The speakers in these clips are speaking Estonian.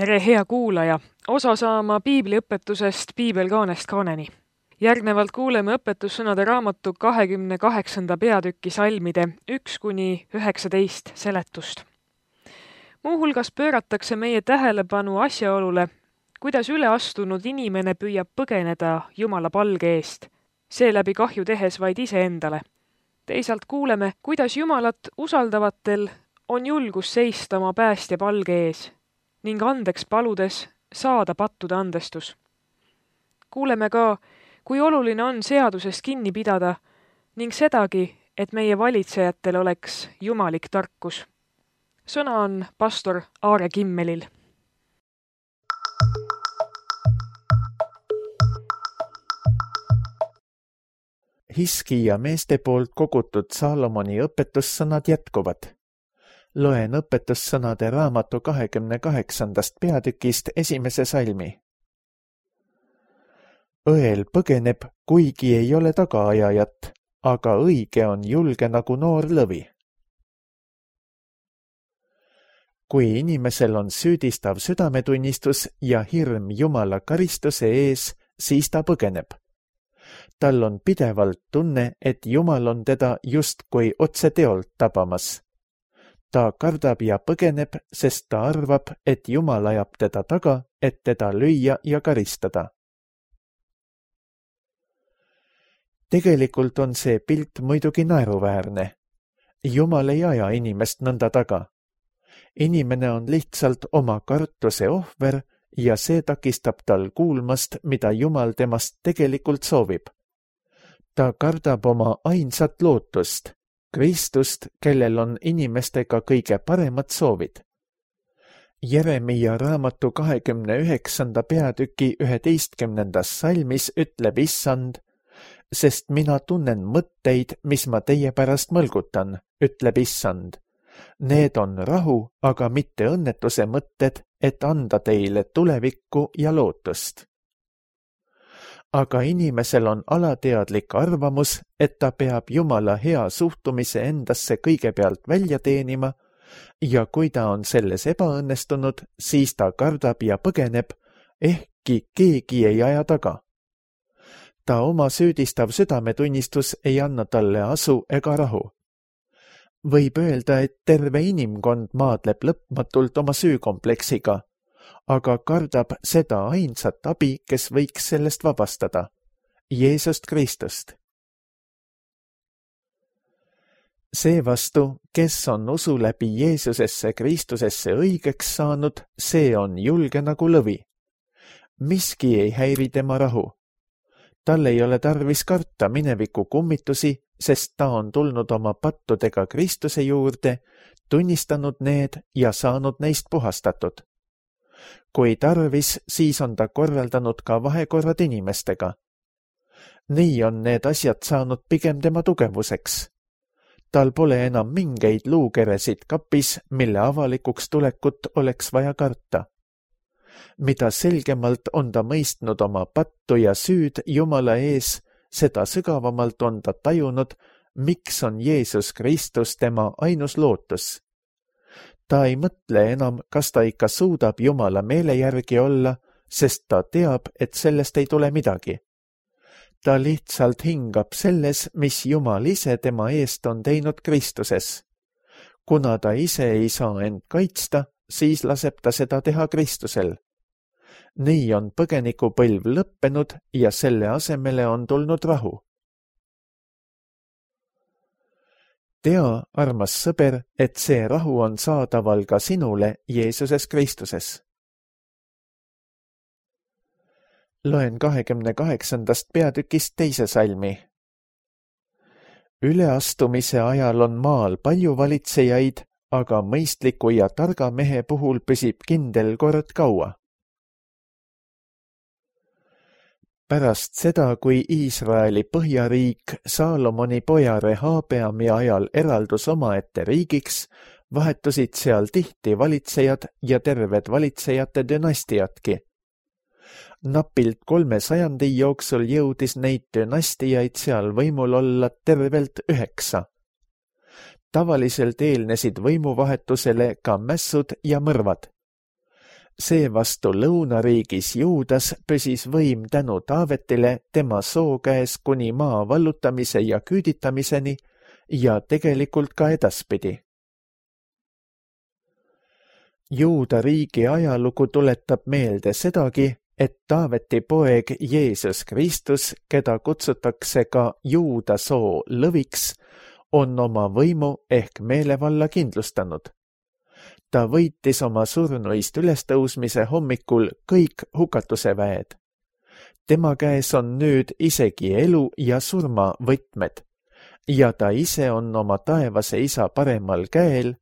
Tere, hea kuulaja! Osa saama piibliõpetusest Piibelkaanest kaaneni. Järgnevalt kuuleme õpetussõnade raamatu 28. peatüki salmide 1–19 seletust. Muuhulgas pööratakse meie tähelepanu asjaolule, kuidas üleastunud inimene püüab põgeneda Jumala palge eest, seeläbi kahju tehes vaid iseendale. Teisalt kuuleme, kuidas Jumalat usaldavatel on julgus seista oma päästja palge ees ning andeks paludes saada pattude andestus. Kuuleme ka, kui oluline on seadusest kinni pidada ning sedagi, et meie valitsejatel oleks jumalik tarkus. Sõna on pastor Aare Kimmelil. Hiskija meeste poolt kogutud Saalomoni õpetussõnad jätkuvad. Loen õpetussõnade raamatu 28. peatükist esimese salmi. Õel põgeneb, kuigi ei ole tagaajajat, aga õige on julge nagu noor lõvi. Kui inimesel on süüdistav südametunnistus ja hirm Jumala karistuse ees, siis ta põgeneb. Tal on pidevalt tunne, et Jumal on teda justkui otse teolt tabamas. Ta kardab ja põgeneb, sest ta arvab, et Jumal ajab teda taga, et teda lüüa ja karistada. Tegelikult on see pilt muidugi naeruväärne. Jumal ei aja inimest nõnda taga. Inimene on lihtsalt oma kartuse ohver ja see takistab tal kuulmast, mida Jumal temast tegelikult soovib. Ta kardab oma ainsat lootust, Kristust, kellel on inimestega kõige paremad soovid. Jeremia raamatu 29. peatüki 11. salmis ütleb Issand, sest mina tunnen mõtteid, mis ma teie pärast mõlgutan, ütleb Issand. Need on rahu, aga mitte õnnetuse mõtted, et anda teile tulevikku ja lootust. Aga inimesel on alateadlik arvamus, et ta peab Jumala hea suhtumise endasse kõigepealt välja teenima ja kui ta on selles ebaõnnestunud, siis ta kardab ja põgeneb, ehkki keegi ei aja taga. Ta oma süüdistav südametunnistus ei anna talle asu ega rahu. Võib öelda, et terve inimkond maadleb lõpmatult oma süükompleksiga, aga kardab seda ainsat abi, kes võiks sellest vabastada, Jeesust Kristust. Seevastu, kes on usu läbi Jeesusesse Kristusesse õigeks saanud, see on julge nagu lõvi. Miski ei häiri tema rahu. Tal ei ole tarvis karta mineviku kummitusi, sest ta on tulnud oma pattudega Kristuse juurde, tunnistanud need ja saanud neist puhastatud. Kui tarvis, siis on ta korraldanud ka vahekorrad inimestega. Nii on need asjad saanud pigem tema tugevuseks. Tal pole enam mingeid luukeresid kapis, mille avalikuks tulekut oleks vaja karta. Mida selgemalt on ta mõistnud oma pattu ja süüd Jumala ees, seda sügavamalt on ta tajunud, miks on Jeesus Kristus tema ainus lootus. Ta ei mõtle enam, kas ta ikka suudab Jumala meele järgi olla, sest ta teab, et sellest ei tule midagi. Ta lihtsalt hingab selles, mis Jumal ise tema eest on teinud Kristuses. Kuna ta ise ei saa end kaitsta, siis laseb ta seda teha Kristusel. Nii on põgenikupõlv lõppenud ja selle asemele on tulnud rahu. Tea, armas sõber, et see rahu on saadaval ka sinule Jeesuses Kristuses. Loen 28. peatükist teise salmi. Üleastumise ajal on maal palju valitsejaid, aga mõistliku ja targa mehe puhul püsib kindel kord kaua. Pärast seda, kui Iisraeli põhjariik Saalomoni poja Rehabeami ajal eraldus omaette riigiks, vahetusid seal tihti valitsejad ja terved valitsejate dünastiatki. Napilt 300 jooksul jõudis neid dünastiaid seal võimul olla tervelt 9. Tavaliselt eelnesid võimuvahetusele ka mässud ja mõrvad. Seevastu lõunariigis Juudas püsis võim tänu Taavetile tema soo käes kuni maa vallutamise ja küüditamiseni ja tegelikult ka edaspidi. Juuda riigi ajalugu tuletab meelde sedagi, et Taaveti poeg Jeesus Kristus, keda kutsutakse ka Juuda soo lõviks, on oma võimu ehk meelevalla kindlustanud. Ta võitis oma surnuist ülestõusmise hommikul kõik hukatuse väed. Tema käes on nüüd isegi elu ja surma võtmed ja ta ise on oma taevase isa paremal käel,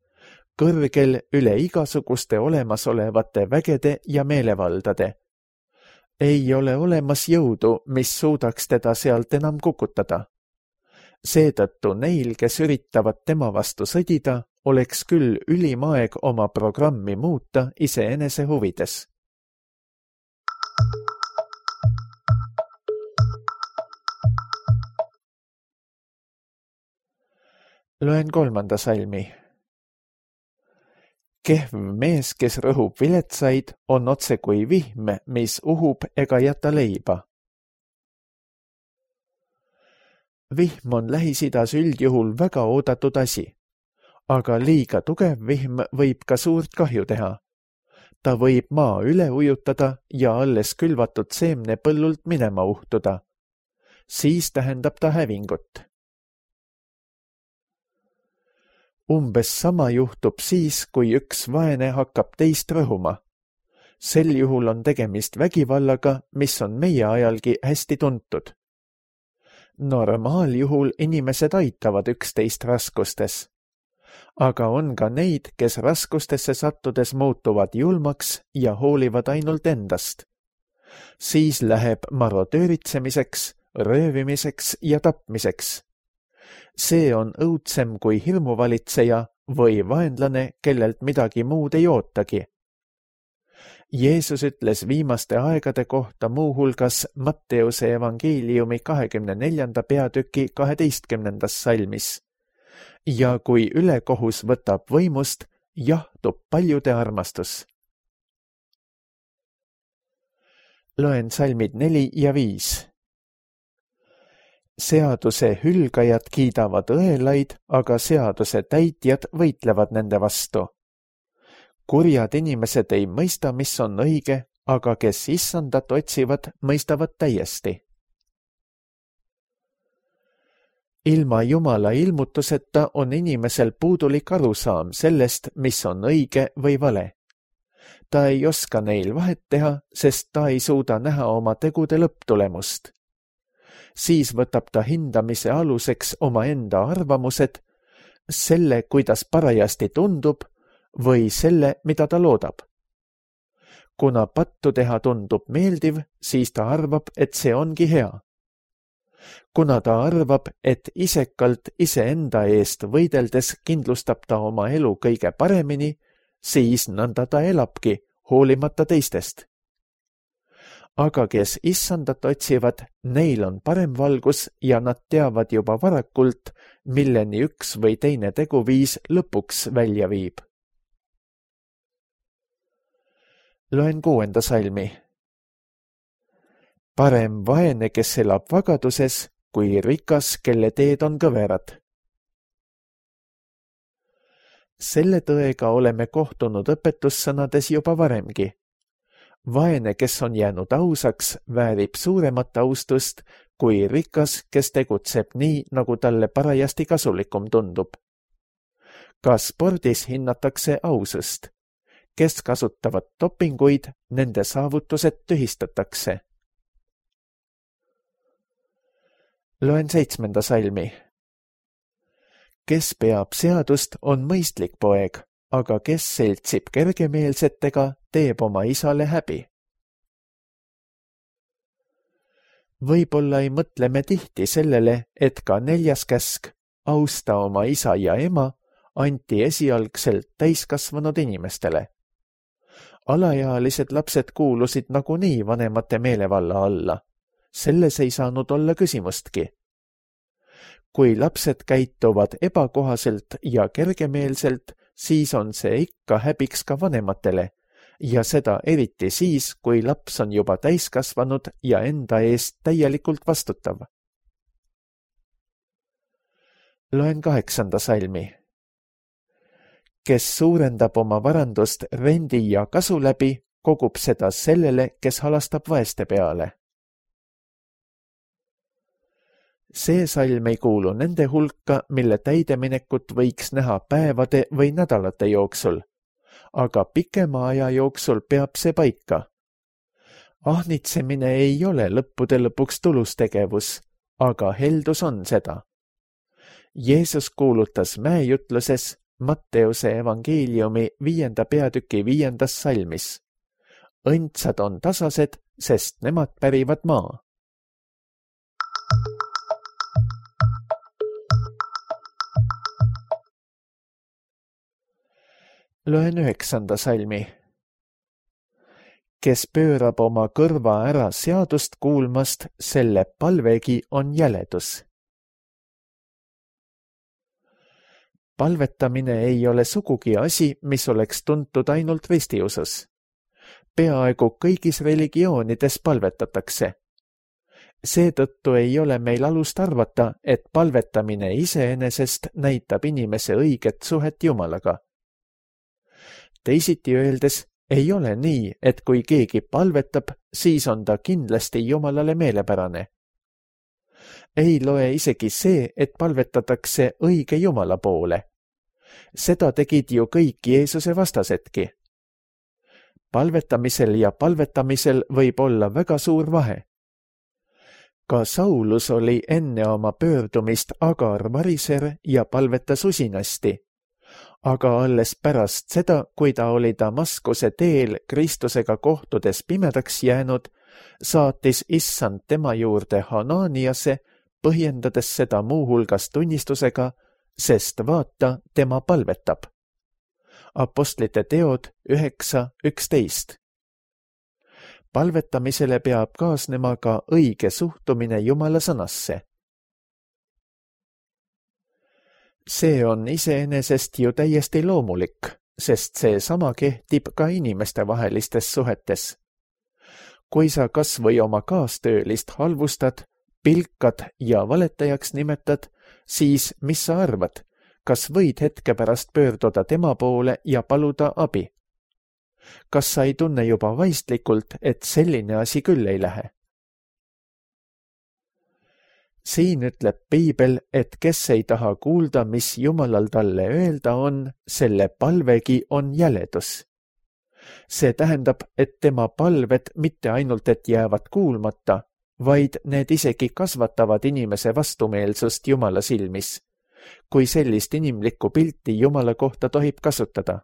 kõrgel üle igasuguste olemasolevate vägede ja meelevaldade. Ei ole olemas jõudu, mis suudaks teda sealt enam kukutada. Seetõttu neil, kes üritavad tema vastu sõdida, oleks küll ülim aeg oma programmi muuta iseenese huvides. Loen 3. salmi. Kehv mees, kes rõhub viletsaid, on otse kui vihm, mis uhub ega jäta leiba. Vihm on Lähis-Idas üldjuhul väga oodatud asi, aga liiga tugev vihm võib ka suurt kahju teha. Ta võib maa üle ujutada ja alles külvatud seemne põllult minema uhtuda. Siis tähendab ta hävingut. Umbes sama juhtub siis, kui üks vaene hakkab teist rõhuma. Sel juhul on tegemist vägivallaga, mis on meie ajalgi hästi tuntud. Normaaljuhul inimesed aitavad üksteist raskustes. Aga on ka neid, kes raskustesse sattudes muutuvad julmaks ja hoolivad ainult endast. Siis läheb marodööritsemiseks, röövimiseks ja tapmiseks. See on õudsem kui hirmuvalitseja või vaenlane, kellelt midagi muud ei ootagi. Jeesus ütles viimaste aegade kohta muuhulgas Matteuse evangeeliumi 24. peatüki 12. salmis. Ja kui ülekohus võtab võimust, jahtub paljude armastus. Loen salmid 4 ja 5. Seaduse hülgajad kiidavad õelaid, aga seaduse täitjad võitlevad nende vastu. Kurjad inimesed ei mõista, mis on õige, aga kes issandat otsivad, mõistavad täiesti. Ilma Jumala ilmutuseta on inimesel puudulik arusaam sellest, mis on õige või vale. Ta ei oska neil vahet teha, sest ta ei suuda näha oma tegude lõpptulemust. Siis võtab ta hindamise aluseks omaenda arvamused, selle, kuidas parajasti tundub, või selle, mida ta loodab. Kuna pattu teha tundub meeldiv, siis ta arvab, et see ongi hea. Kuna ta arvab, et isekalt iseenda eest võideldes kindlustab ta oma elu kõige paremini, siis nõnda ta elabki, hoolimata teistest. Aga kes issandat otsivad, neil on parem valgus ja nad teavad juba varakult, milleni üks või teine teguviis lõpuks välja viib. Loen 6. salmi. Parem vaene, kes elab vagaduses, kui rikas, kelle teed on kõverad. Selle tõega oleme kohtunud õpetussõnades juba varemgi. Vaene, kes on jäänud ausaks, väärib suuremat austust kui rikas, kes tegutseb nii, nagu talle parajasti kasulikum tundub. Ka spordis hinnatakse ausust. Kes kasutavad dopinguid, nende saavutused tühistatakse. Loen 7. salmi. Kes peab seadust, on mõistlik poeg, aga kes seltsib kergemeelsetega, teeb oma isale häbi. Võib-olla ei mõtle me tihti sellele, et ka 4. käsk, austa oma isa ja ema, anti esialgselt täiskasvanud inimestele. Alaealised lapsed kuulusid nagunii vanemate meelevalla alla. Selles ei saanud olla küsimustki. Kui lapsed käituvad ebakohaselt ja kergemeelselt, siis on see ikka häbiks ka vanematele ja seda eriti siis, kui laps on juba täiskasvanud ja enda eest täielikult vastutav. Loen 8. salmi. Kes suurendab oma varandust rendi ja kasu läbi, kogub seda sellele, kes halastab vaeste peale. See salm ei kuulu nende hulka, mille täideminekut võiks näha päevade või nädalate jooksul, aga pikema aja jooksul peab see paika. Ahnitsemine ei ole lõppude lõpuks tulustegevus, aga heldus on seda. Jeesus kuulutas mäejutluses Matteuse evangeeliumi 5. peatüki 5. salmis. Õndsad on tasased, sest nemad pärivad maa. Loen 9. salmi. Kes pöörab oma kõrva ära seadust kuulmast, selle palvegi on jäledus. Palvetamine ei ole sugugi asi, mis oleks tuntud ainult ristiusus. Peaaegu kõigis religioonides palvetatakse. Seetõttu ei ole meil alust arvata, et palvetamine iseenesest näitab inimese õiget suhet Jumalaga. Teisiti öeldes ei ole nii, et kui keegi palvetab, siis on ta kindlasti Jumalale meelepärane. Ei loe isegi see, et palvetatakse õige Jumala poole. Seda tegid ju kõik Jeesuse vastasedki. Palvetamisel ja palvetamisel võib olla väga suur vahe. Ka Saulus oli enne oma pöördumist agar variser ja palvetas usinasti, aga alles pärast seda, kui ta oli Damaskuse teel Kristusega kohtudes pimedaks jäänud, saatis Issand tema juurde Hananiase, põhjendades seda muuhulgas tunnistusega, sest vaata, tema palvetab. Apostlite teod 9:11. Palvetamisele peab kaasnema ka õige suhtumine Jumala sõnasse. See on iseenesest ju täiesti loomulik, sest see sama kehtib ka inimestevahelistes suhetes. Kui sa kas või oma kaastöölist halvustad, pilkad ja valetajaks nimetad, siis mis sa arvad, kas võid hetke pärast pöörduda tema poole ja paluda abi? Kas sa ei tunne juba vaistlikult, et selline asi küll ei lähe? Siin ütleb Piibel, et kes ei taha kuulda, mis Jumalal talle öelda on, selle palvegi on jäledus. See tähendab, et tema palved mitte ainult, et jäävad kuulmata, vaid need isegi kasvatavad inimese vastumeelsust Jumala silmis, kui sellist inimlikku pilti Jumala kohta tohib kasutada.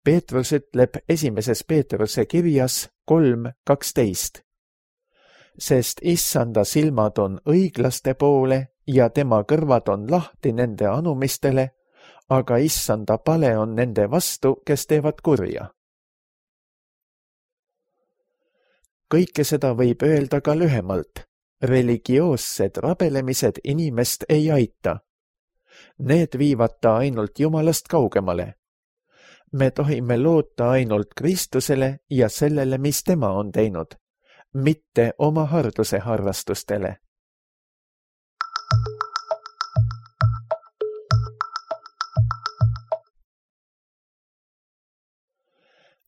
Peetrus ütleb 1. Peetruse kirjas 3:12. Sest Issanda silmad on õiglaste poole ja tema kõrvad on lahti nende anumistele, aga Issanda pale on nende vastu, kes teevad kurja. Kõike seda võib öelda ka lühemalt. Religioossed rabelemised inimest ei aita. Need viivad ta ainult Jumalast kaugemale. Me tohime loota ainult Kristusele ja sellele, mis tema on teinud, mitte oma harduse harrastustele.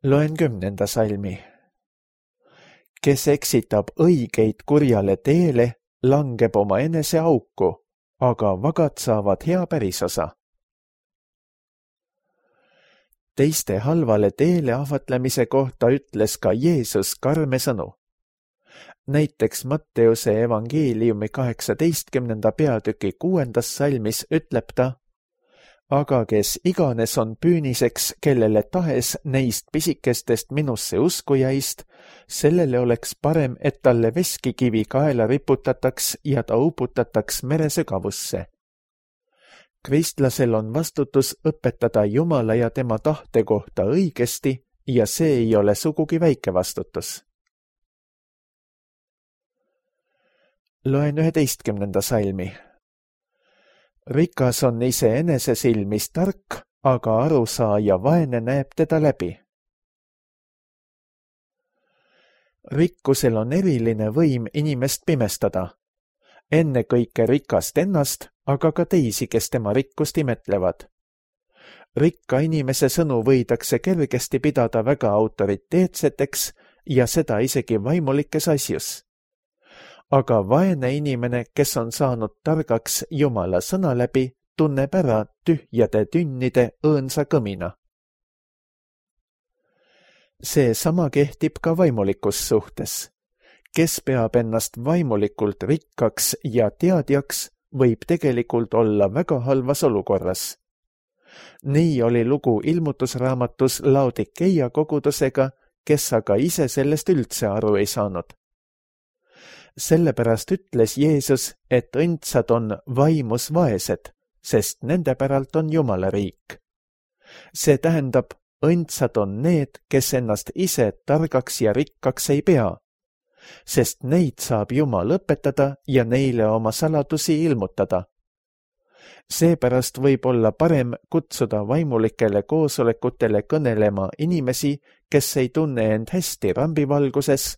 Loen 10. salmi. Kes eksitab õigeid kurjale teele, langeb oma enese auku, aga vagad saavad hea pärisosa. Teiste halvale teele ahvatlemise kohta ütles ka Jeesus karme sõnu. Näiteks Matteuse evangeeliumi 18. peatüki 6. salmis ütleb ta, aga kes iganes on püüniseks, kellele tahes neist pisikestest minusse uskujaist, sellele oleks parem, et talle veskikivi kaela riputataks ja ta uputataks mere sügavusse. Kristlasel on vastutus õpetada Jumala ja tema tahte kohta õigesti ja see ei ole sugugi väike vastutus. Loen 11. salmi. Rikas on iseenese silmis tark, aga arusaaja vaene näeb teda läbi. Rikkusel on eriline võim inimest pimestada. Ennekõike rikast ennast, aga ka teisi, kes tema rikkust imetlevad. Rikka inimese sõnu võidakse kergesti pidada väga autoriteetseteks ja seda isegi vaimulikes asjus. Aga vaene inimene, kes on saanud targaks Jumala sõna läbi, tunneb ära tühjade tünnide õõnsa kõmina. See sama kehtib ka vaimulikus suhtes. Kes peab ennast vaimulikult rikkaks ja teadjaks, võib tegelikult olla väga halvas olukorras. Nii oli lugu ilmutusraamatus Laodikeia kogudusega, kes aga ise sellest üldse aru ei saanud. Sellepärast ütles Jeesus, et õndsad on vaimus vaesed, sest nende päralt on Jumala riik. See tähendab, õndsad on need, kes ennast ise targaks ja rikkaks ei pea, sest neid saab Jumal õpetada ja neile oma saladusi ilmutada. Seepärast võib olla parem kutsuda vaimulikele koosolekutele kõnelema inimesi, kes ei tunne end hästi rambivalguses,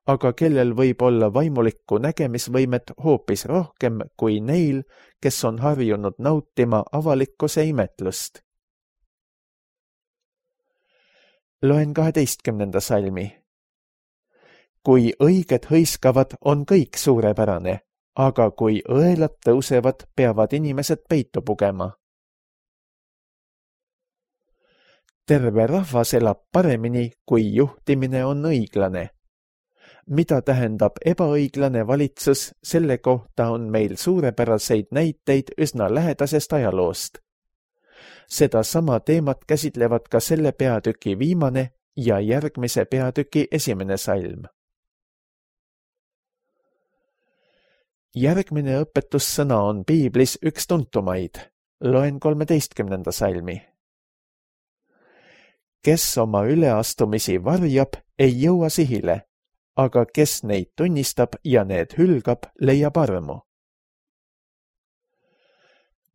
aga kellel võib olla vaimulikku nägemisvõimet hoopis rohkem kui neil, kes on harjunud nautima avalikkuse imetlust. Loen 12. salmi. Kui õiged hõiskavad, on kõik suurepärane, aga kui õelad tõusevad, peavad inimesed peitu pugema. Terve rahvas elab paremini, kui juhtimine on õiglane. Mida tähendab ebaõiglane valitsus, selle kohta on meil suurepäraseid näiteid üsna lähedasest ajaloost. Seda sama teemat käsitlevad ka selle peatüki viimane ja järgmise peatüki 1. salm. Järgmine õpetussõna on piiblis üks tuntumaid. Loen 13. salmi. Kes oma üleastumisi varjab, ei jõua sihile, aga kes neid tunnistab ja need hülgab, leiab armu.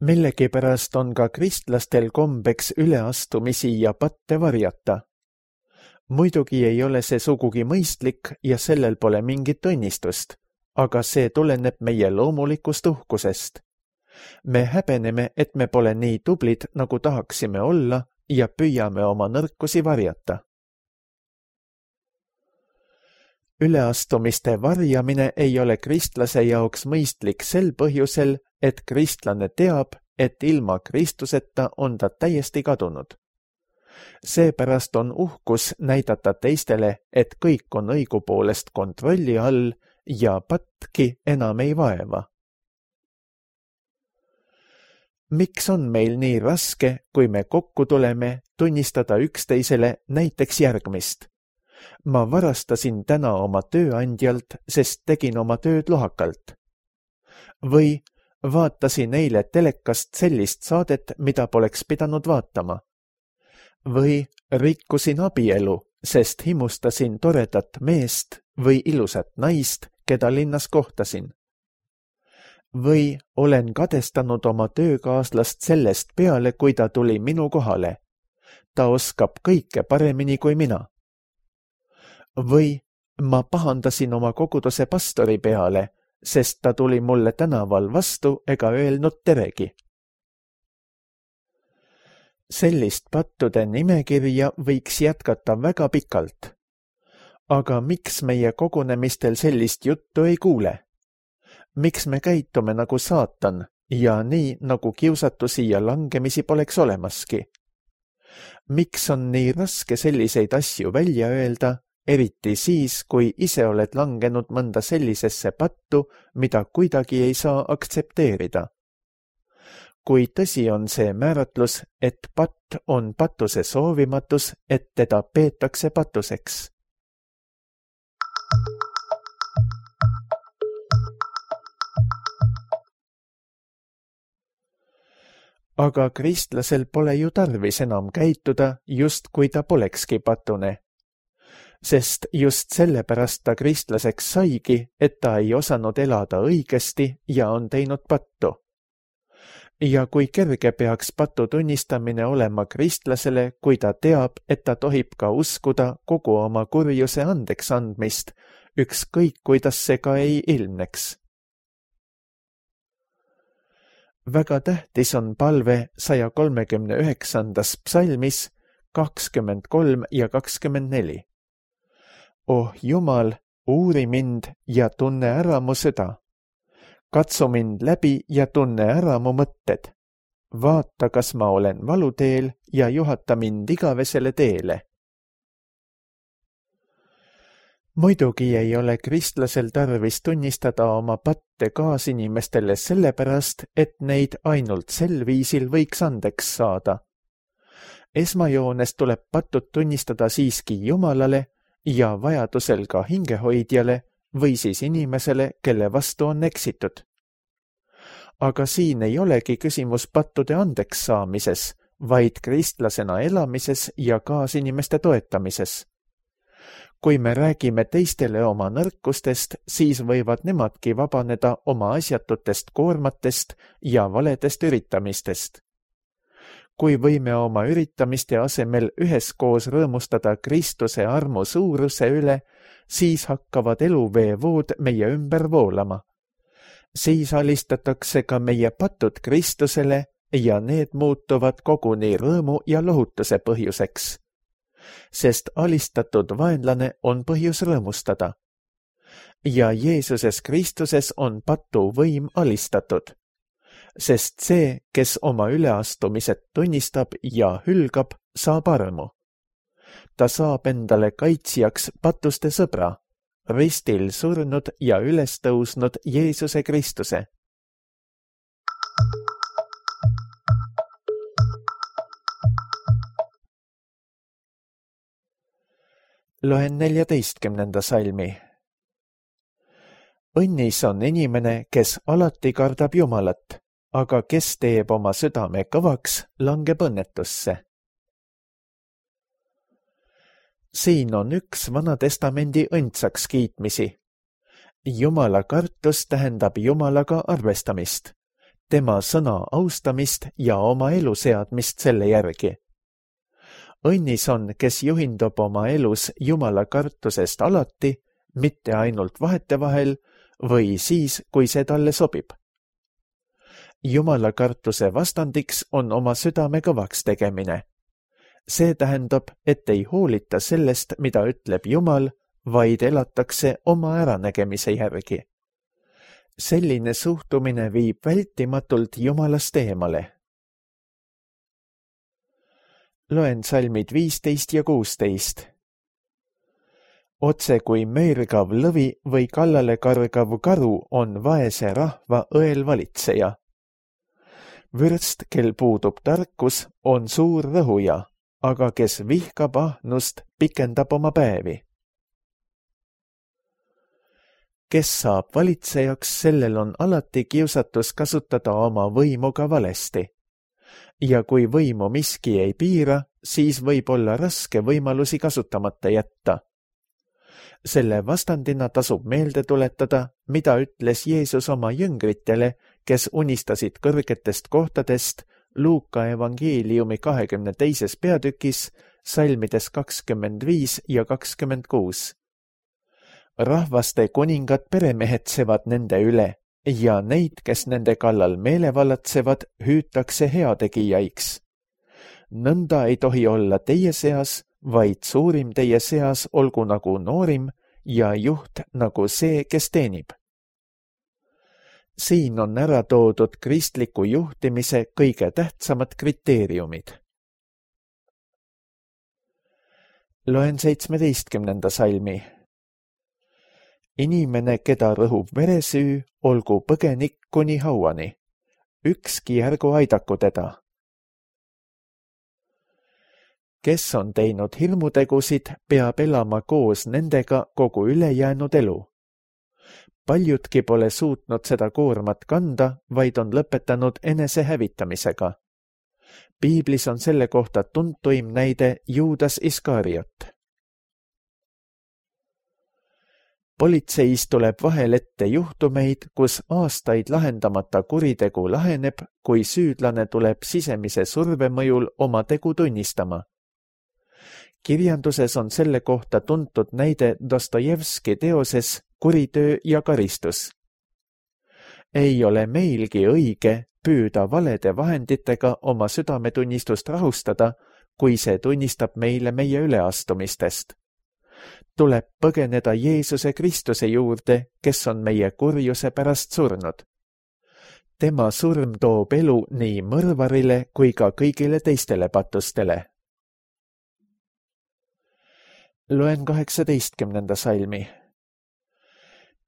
Millegipärast on ka kristlastel kombeks üleastumisi ja patte varjata. Muidugi ei ole see sugugi mõistlik ja sellel pole mingit õnnistust, aga see tuleneb meie loomulikust uhkusest. Me häbeneme, et me pole nii tublid, nagu tahaksime olla ja püüame oma nõrkusi varjata. Üleastumiste varjamine ei ole kristlase jaoks mõistlik sel põhjusel, et kristlane teab, et ilma Kristuseta on ta täiesti kadunud. Seepärast on uhkus näidata teistele, et kõik on õigupoolest kontrolli all ja patki enam ei vaeva. Miks on meil nii raske, kui me kokku tuleme, tunnistada üksteisele näiteks järgmist? Ma varastasin täna oma tööandjalt, sest tegin oma tööd lohakalt. Või vaatasin eile telekast sellist saadet, mida poleks pidanud vaatama. Või rikkusin abielu, sest himustasin toredat meest või ilusat naist, keda linnas kohtasin. Või olen kadestanud oma töökaaslast sellest peale, kui ta tuli minu kohale. Ta oskab kõike paremini kui mina. Või ma pahandasin oma koguduse pastori peale, sest ta tuli mulle tänaval vastu ega öelnud teregi. Sellist pattude nimekirja võiks jätkata väga pikalt. Aga miks meie kogunemistel sellist juttu ei kuule? Miks me käitume nagu saatan ja nii, nagu kiusatusi ja langemisi poleks olemaski? Miks on nii raske selliseid asju välja öelda, eriti siis, kui ise oled langenud mõnda sellisesse pattu, mida kuidagi ei saa aktsepteerida? Kui tõsi on see määratlus, et patt on patuse soovimatus, et teda peetakse patuseks? Aga kristlasel pole ju tarvis enam käituda, just kui ta polekski patune. Sest just sellepärast ta kristlaseks saigi, et ta ei osanud elada õigesti ja on teinud pattu. ja kui kerge peaks patu tunnistamine olema kristlasele, kui ta teab, et ta tohib ka uskuda kogu oma kurjuse andeks andmist, ükskõik kuidas see ka ei ilmneks. Väga tähtis on palve 139. psalmis 23 ja 24. Oh Jumal, uuri mind ja tunne ära mu süda. Katsu mind läbi ja tunne ära mu mõtted. Vaata, kas ma olen valuteel ja juhata mind igavesele teele. Muidugi ei ole kristlasel tarvis tunnistada oma patte kaasinimestele sellepärast, et neid ainult sel viisil võiks andeks saada. Esmajoones tuleb patud tunnistada siiski Jumalale ja vajadusel ka hingehoidjale või siis inimesele, kelle vastu on eksitud. Aga siin ei olegi küsimus pattude andeks saamises, vaid kristlasena elamises ja kaasinimeste toetamises. Kui me räägime teistele oma nõrkustest, siis võivad nemadki vabaneda oma asjatutest koormatest ja valedest üritamistest. Kui võime oma üritamiste asemel üheskoos rõõmustada Kristuse armu suuruse üle, siis hakkavad eluveevood meie ümber voolama. Siis alistatakse ka meie patud Kristusele ja need muutuvad koguni rõõmu ja lohutuse põhjuseks. Sest alistatud vaenlane on põhjus rõõmustada. Ja Jeesuses Kristuses on patu võim alistatud. Sest see, kes oma üleastumised tunnistab ja hülgab, saab armu. Ta saab endale kaitsjaks patuste sõbra, ristil surnud ja üles tõusnud Jeesuse Kristuse. Loen 14. salmi. Õnnis on inimene, kes alati kardab Jumalat, aga kes teeb oma südame kõvaks, langeb õnnetusse. Siin on üks Vana Testamendi õndsaks kiitmisi. Jumala kartus tähendab Jumalaga arvestamist, tema sõna austamist ja oma elu seadmist selle järgi. Õnnis on, kes juhindub oma elus Jumala kartusest alati, mitte ainult vahetevahel või siis, kui see talle sobib. Jumala kartuse vastandiks on oma südame kõvaks tegemine. See tähendab, et ei hoolita sellest, mida ütleb Jumal, vaid elatakse oma äranägemise järgi. Selline suhtumine viib vältimatult Jumalast eemale. Loen salmid 15 ja 16. Otse kui möörgav lõvi või kallale kargav karu on vaese rahva õel valitseja. Vürst, kel puudub tarkus, on suur rõhuja, aga kes vihkab ahnust, pikendab oma päevi. Kes saab valitsejaks, sellel on alati kiusatus kasutada oma võimu ka valesti. Ja kui võimu miski ei piira, siis võib olla raske võimalusi kasutamata jätta. Selle vastandina tasub meelde tuletada, mida ütles Jeesus oma jüngritele, kes unistasid kõrgetest kohtadest Luuka evangeeliumi 22. peatükis, salmides 25 ja 26. Rahvaste kuningad peremehetsevad nende üle ja neid, kes nende kallal meelevallatsevad, hüütakse heategijaiks. Nõnda ei tohi olla teie seas, vaid suurim teie seas olgu nagu noorim ja juht nagu see, kes teenib. Siin on ära toodud kristliku juhtimise kõige tähtsamad kriteeriumid. Loen 17. salmi. Inimene, keda rõhub veresüü, olgu põgenik kuni hauani. Ükski ärgu aidaku teda. Kes on teinud hirmutegusid, peab elama koos nendega kogu ülejäänud elu. Paljudki pole suutnud seda koormat kanda, vaid on lõpetanud enese hävitamisega. Piiblis on selle kohta tuntuim näide Juudas Iskariot. Politseis tuleb vahel ette juhtumeid, kus aastaid lahendamata kuritegu laheneb, kui süüdlane tuleb sisemise surve mõjul oma tegu tunnistama. Kirjanduses on selle kohta tuntud näide Dostojevski teoses Kuritöö ja karistus. Ei ole meilgi õige püüda valede vahenditega oma südametunnistust rahustada, kui see tunnistab meile meie üleastumistest. Tuleb põgeneda Jeesuse Kristuse juurde, kes on meie kurjuse pärast surnud. Tema surm toob elu nii mõrvarile kui ka kõigile teistele patustele. Loen 18. salmi.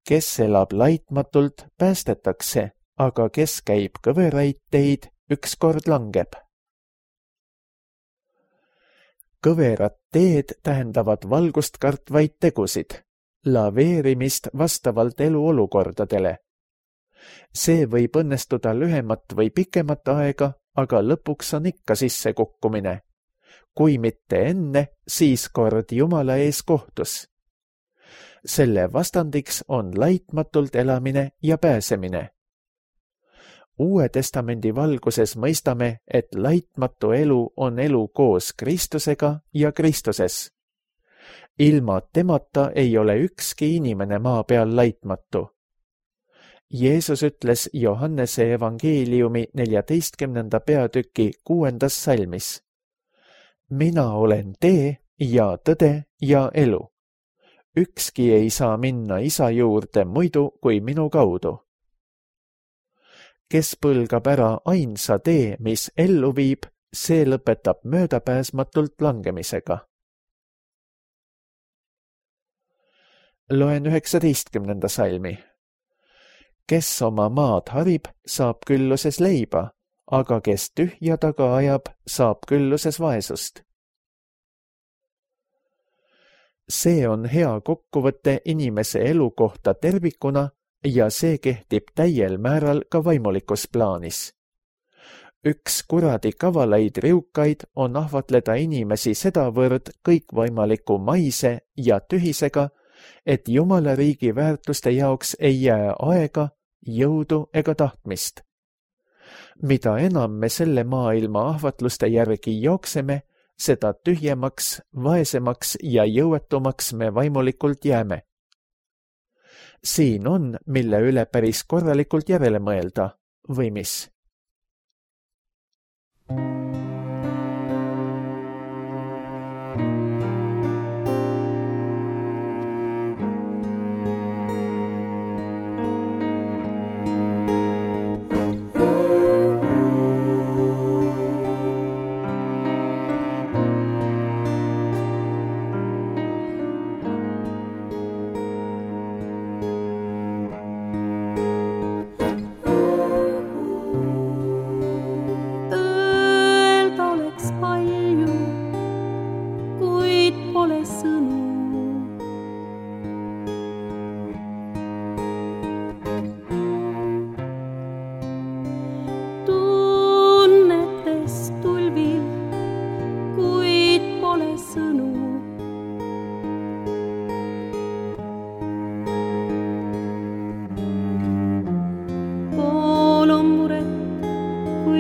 Kes elab laitmatult, päästetakse, aga kes käib kõveraid teid, ükskord langeb. Kõverad teed tähendavad valgust kartvaid tegusid, laveerimist vastavalt eluolukordadele. See võib õnnestuda lühemat või pikemat aega, aga lõpuks on ikka sissekukkumine. Kui mitte enne, siis kord Jumala ees kohtus. Selle vastandiks on laitmatult elamine ja pääsemine. Uue testamendi valguses mõistame, et laitmatu elu on elu koos Kristusega ja Kristuses. Ilma temata ei ole ükski inimene maa peal laitmatu. Jeesus ütles Johannese evangeeliumi 14. peatüki 6. salmis. Mina olen tee ja tõde ja elu. Ükski ei saa minna Isa juurde muidu kui minu kaudu. Kes põlgab ära ainsa tee, mis ellu viib, see lõpetab möödapääsmatult langemisega. Loen 19. salmi. Kes oma maad harib, saab külluses leiba, aga kes tühja taga ajab, saab külluses vaesust. See on hea kokkuvõte inimese elu kohta tervikuna ja see kehtib täiel määral ka vaimulikus plaanis. Üks kuradi kavalaid riukaid on ahvatleda inimesi sedavõrd kõikvõimaliku maise ja tühisega, et Jumala riigi väärtuste jaoks ei jää aega, jõudu ega tahtmist. Mida enam me selle maailma ahvatluste järgi jookseme, seda tühjemaks, vaesemaks ja jõuetumaks me vaimulikult jääme. Siin on, mille üle päris korralikult järele mõelda, või mis?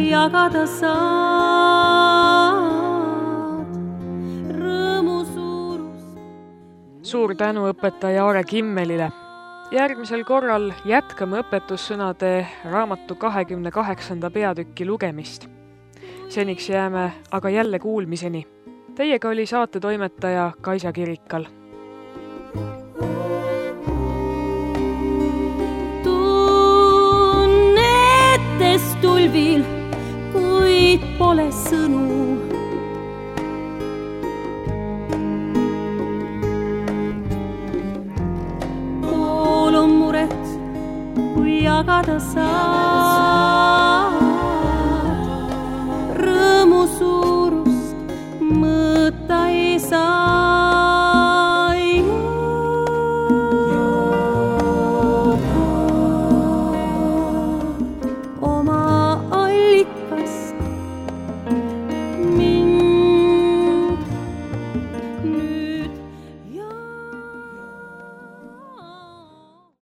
Jagada saad rõõmu suurust. Suur tänu õpetaja Aare Kimmelile. Järgmisel korral jätkame õpetussõnade raamatu 28. peatüki lugemist. Seniks jääme aga jälle kuulmiseni. Teiega oli saatetoimetaja Kaisa Kirikal. Tunnetes tulvil, kuid pole sõnu. Pool on muret, kui jagada saad.